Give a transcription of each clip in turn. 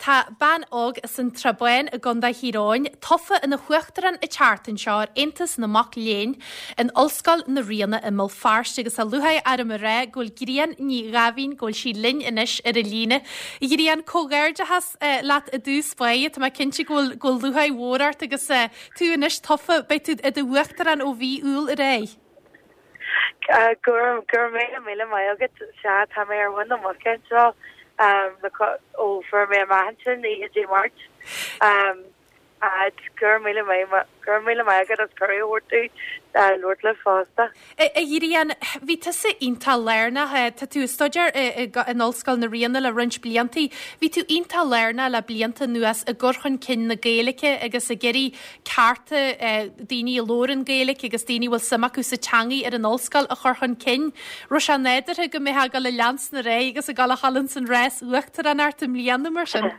Tá bean óg as an tSrath Bán i gContae Thír Eoghain tofa ina huachtarán an tseachtain seo ar Aontas na Mac Léinn in Ollscoil na Ríona i mBéal Feirste agus tá lúcháir orm a rá go bhfuil Grian Ní Dháimhín, go bhfuil sí linn anois ar an líne. A Ghrian, comhghairdeachas leat i dtús báire. Tá mé cinnte go bhfuil go bhfuil lúcháir mhór ort agus tú anois tofa, beidh tú i do uachtarán ó mhí Iúil ar aghaidh. Go raibh míle míle maith agat. Sea, tá mé ar mhuin na muice anseo ó fuair mé amach ansin oíche Dé Máirt. Go raibh míle maith go raibh míle maith agat as cuireadh a thabhairt domh labhairt libh fosta. A Ghrian, bhí tusa iontach lárnach, tá tú ag staidéar in Ollscoil na Ríona le roinnt bliantaí, bhí tú iontach lárnach le blianta anuas i gcur chun cinn na Gaeilge agus ag iarraidh cearta daoine a labhrann Gaeilge agus daoine a bhfuil suim acu sa teangaidh ar an ollscoil a chur chun cinn. Raibh sé nádúrtha go mbeifeá ag dul ag leanstan ar aghaidh agus ag dul a ghabháil ins an rás uachtaránacht i mbliana mar sin?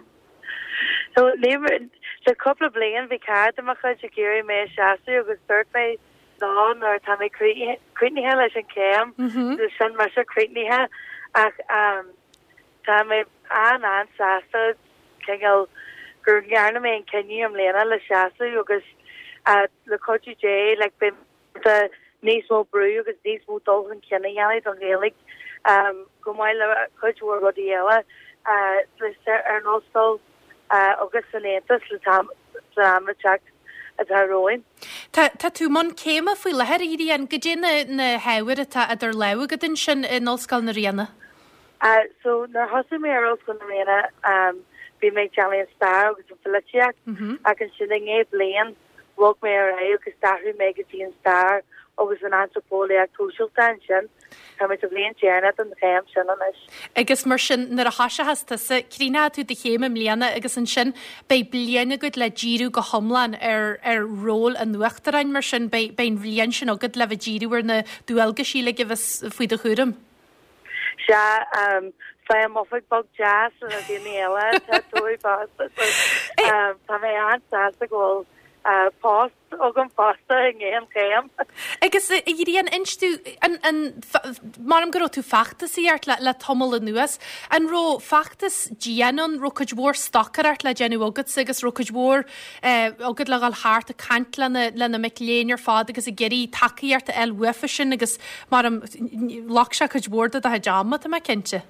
So, le cúpla bliain bhí cara de mo chuid ag iarraidh mé a seasamh agus dúirt mé no nuair atá mé críochnaithe leis an chéim, sin mise críochnaithe ach Tá mé an-an-sásta cineál go ndearna mé an cinneadh i mbliana le seasamh agus le cuidiú Dé like beidh mé ábalta níos mó brú agus níos mó dul chun cinn a dhéanamh don Ghaeilge chomh maith le cuid mhór rudaí eile ar an ollscoil agus san Aontas le am le teacht atá romhainn. Tá tá tú i mbun céime faoi láthair, a Ghrian, goidé na na hábhair atá idir lámha agat ansin in Ollscoil na Ríona? So, nuair a thosaigh mé ar Ollscoil na Ríona, bhí mé ag déanamh an stair agus an pholaitíocht, ach ansin i ndiaidh bliain, bhog mé ar aghaidh agus d'athraigh mé go dtí an stair agus an antraipeolaíocht shóisialta ansin. Tá mé sa bhliain deireanach den chéim sin anois. Agus mar sin, nuair a thoiseochas tusa, críochnóidh tú do chéim i mbliana agus ansin beidh bliain agat le díriú go hiomlán ar ar ról an uachtaráin, mar sin beidh beidh an bhliain sin agat le bheith díriú ar na dualgaisí uilig a bheas faoi do chúram. Sea, faighim oifig beag deas le na daoine eile atá tofa fosta so tá mé an-sásta go bhfuil post agam fosta i ndiaidh an chéim. Agus a Ghrian, inis domh, an, an, measaim go raibh tú feachtasaíocht le, le tamall anuas, an raibh feachtas dian ann, raibh cuid mhór stocaireacht le déanamh agatsa agus raibh cuid mhór eh, agat le dhul thart ag caint lena, lena mic léinn ar fad agus ag iarraidh tacaíocht a fháil uafa sin agus Measaim, ghlac sé cuid mhór de do chuid ama, tá mé cinnte.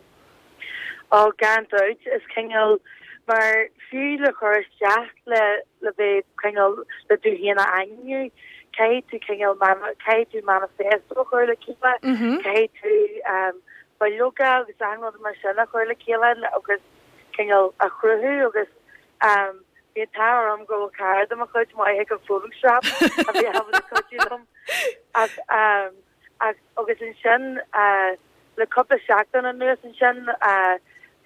Ó, gan dabht, is cineál, mar fiú le cur isteach le, le bheith cineál, le tú féin a ainmniú, caithfidh tú cineál, caithfidh tú manifesto a chur le chéile, caithfidh tú bileoga agus achan rud mar sin a chur le chéile agus cineál a chruthú agus bhí an t-ádh orm go bhfuil cara de mo chuid maith ag an Photoshop a bhí ábalta cuidiú liom. Ach, ach, agus ansin, le cúpla seachtain anuas ansin,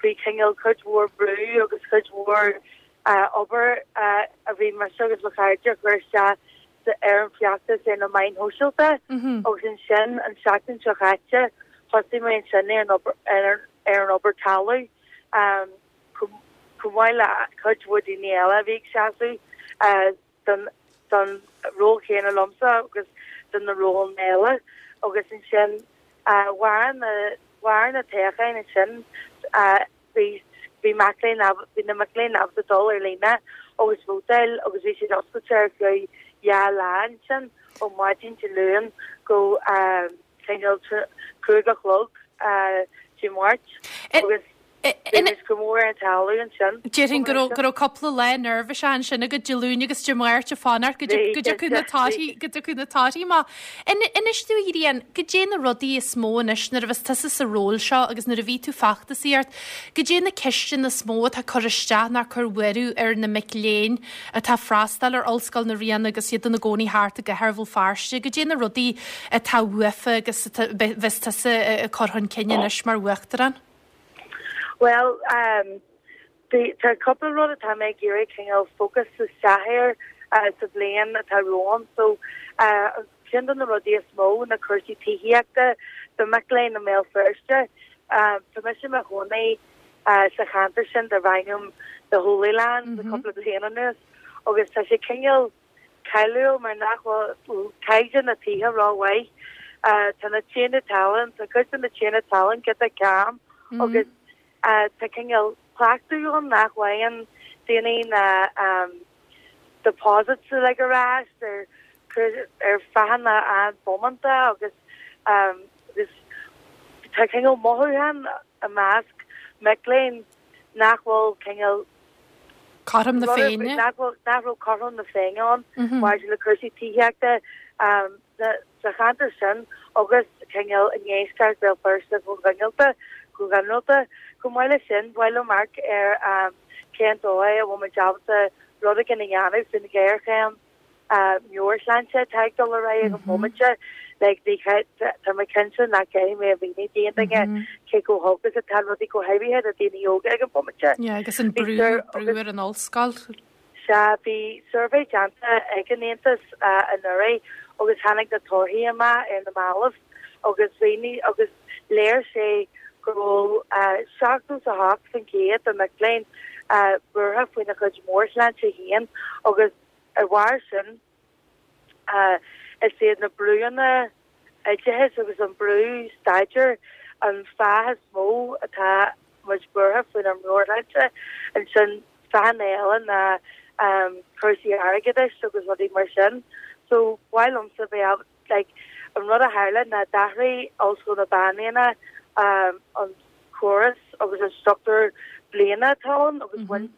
faoi chineál cuid mhór brú agus cuid mhór obair a bhí mise agus mo chairde a chur isteach ar an bhfeachtas ar na meáin shóisialta agus ansin an tseachtain seo chaite thosaigh mé ansin ar an obair, ar an obair talaimh. Chomh maith le cuid mhór daoine eile a bhí ag seasamh don don ról chéanna liomsa agus do na rólanna eile agus ansin mhair na mhair na toghcháin ansin bhí bhí mac léinn bhí na mic léinn ábalta dul ar líne agus vótáil agus bhí siad oscailte ar feadh 2 lá ansin ó maidin Dé Luain go cineál 5 a chlog Dé Máirt agus Bhí muid go mór ar an talamh ansin. Déarfainn go raibh go raibh cúpla lá neirbhíseach ansin agat Dé Luain agus Dé Máirt ag fanacht go dtiocfadh na torthaí go dtiocfadh na torthaí amach. Inis domh a Ghrian, goidé na rudaí is mó anois nuair a bheas tusa sa ról seo agus nuair a bhí tú feachtasaíocht, goidé na ceisteanna is mó atá cur isteach nó cur buaireamh ar na mic léinn atá freastal ar Ollscoil na Ríona agus iad ina gcónaí thart i gcathair Bhéal Feirste, goidé na rudaí atá uafa agus a bheas tusa ag cur chun cinn anois mar Uachtarán? Bhuel, tá cúpla rud atá mé ag iarraidh cineál focus isteach air sa bhliain atá romham. So, ceann de na rudaí is mó na cúrsaí tithíochta do mic léinn i mBéal Feirste. Tá mise i mo chónaí sa cheantar sin darb ainm The Holy Land le cúpla bliain anuas agus tá sé cineál cáiliúil mar nach bhfuil caighdeán na tithe rómhaith. Tá na tithe talún, tá cuid de na tithe talún giota cam agus tá cineál. cleachtadh ann nach bhfaigheann daoine na deposits uilig ar ais ar ar fáthanna an-bhómánta agus agus tá cineál mothúchán i measc mic léinn nach bhfuil cineál Cothrom na Féinne. Nach bhfuil nach raibh cothrom na Féinne ann maidir le cúrsaí tithíochta sa cheantar sin agus cineál i ndeisceart Bhéal Feirste go ginearálta go ginearálta. Chomh maith leis sin, ba mhaith liom amharc ar cén dóigh a bhfuil muid ábalta rud éigin a dhéanamh faoin ghéarchéim meabhairshláinte atá ag dul ar aghaidh ag an bhomaite. Like, ní, tá mé cinnte nach gcaithfidh mé a mhíniú d'aon duine cé chomh holc is atá rudaí go háirithe do daoine óga ag an bomaite. Yeah, agus an brú, brú ar an ollscoil. Sea, bhí suirbhé déanta ag an Aontas anuraidh agus tháinig na torthaí amach ar na mallaibh agus mhínigh agus léirigh sé go raibh 78% de mic léinn buartha faoina chuid meabhairshláinte féin agus ar bharr sin is iad na brúanna oideachais agus an brú staidéir an fáth is mó atá muid buartha faoinár meabhairshláinte. Ansin fáthanna eile ná cúrsaí airgeadais agus rudaí mar sin. So ba mhaith liomsa bheith like an rud a tharla ná d'athraigh Ollscoil na Banríona an córas agus an struchtúr bliana atá ann agus bhain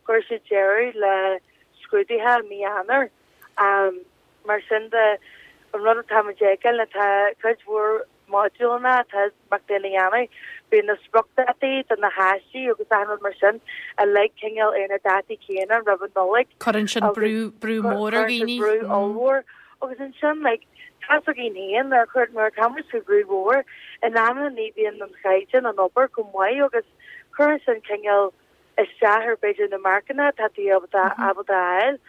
chuir siad deireadh le scrúduithe i mí Eanáir. Mar sin de, an rud atá muid a fheiceáil ná tá cuid mhór modúlanna atá mic léinn a dhéanamh, bíonn na spriocdhátaí do na haistí agus achan rud mar sin uilig cineál ar na dátaí céanna roimh an Nollaig. Cuireann sin brú, brú mór ar dhaoine. Cuireann sin brú ollmhór. Agus ansin, like, tá's againn féin, nuair a chuir, nuair atá muid faoi bhrú mhór, in amanna ní bhíonn an chaighdeán an obair chomh maith agus cuireann sin cineál isteach ar b'fhéidir na marcanna atá tú ábalta ábalta a fháil.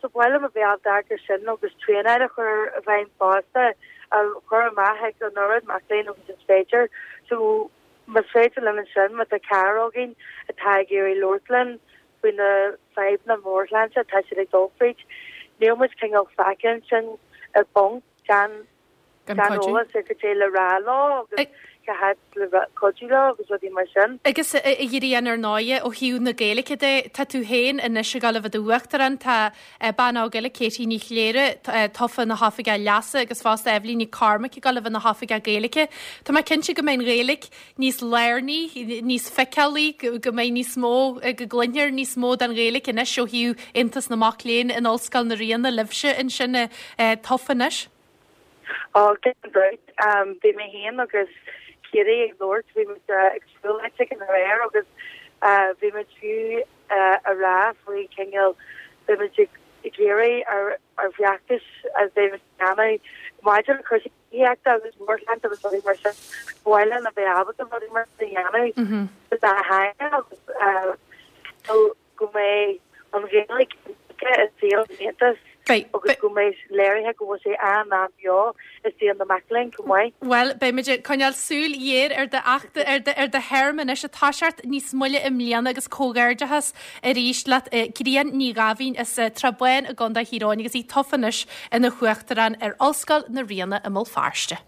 So ba mhaith liom a bheith ábalta amharc ar sin agus traenáil a chur i bhfeidhm fosta, a chur amach ag an oiread mac léinn agus is féidir. So más féidir linn ansin, má tá cara againn atá ag iarraidh labhairt linn faoi na fadhbanna meabhairshláinte atá siad ag dul fríd, níl muid cineál fágtha ansin i bponc gan Gan eolas ar cad é le rá leo agus cá háit le cuidiú leo agus rudaí mar sin. Agus a Ghrian, ar ndóighe, ó thaobh na Gaeilge de, tá tú féin anois ag dul a bheith i d'uachtarán, tá bean óg eile, Katie Ní Chléire, tofa ina hOifigeach Leasa agus fosta Eibhlín Nic Cormaic ag dul a bheith ina hOifigeach Gaeilge. Tá mé cinnte go mbeidh an Ghaeilge níos lárnaí, níos feiceálaí, go mbeidh níos mó, go gcluinfear níos mó den Ghaeilge anois ó thaobh Aontas na Mac Léinn in Ollscoil na Ríona libhse ansin tofa anois. Ó, gan dabht. Bhí mé féin agus Katie ag labhairt, bhí muid ag siúl áit éigin aréir agus bhí muid fiú a rá faoi cineál, bhí muid ag iarraidh ár bhfeachtais a bheidh muid a dhéanamh maidir le cúrsaí tithíochta agus meabhairshláinte agus rudaí mar sin, ba mhaith linn a bheith ábalta rudaí mar sin a dhéanamh sa dá theanga agus go mbeidh an Ghaeilge i saol an Aontais agus go mbeidh léirithe go bhfuil sé an-an-bheo i saol na mac léinn chomh maith. Bhuel, beimid ag coinneáil súil ghéar ar do fheachtas, ar do, ar do théarma anois ag toiseacht níos moille i mbliana agus comhghairdeachas arís leat Grian Ní Dháimhín as Srath Bán i gContae Thír Eoghain agus í tofa anois ina hUachtarán ar Ollscoil na Ríona i mBéal Feirste.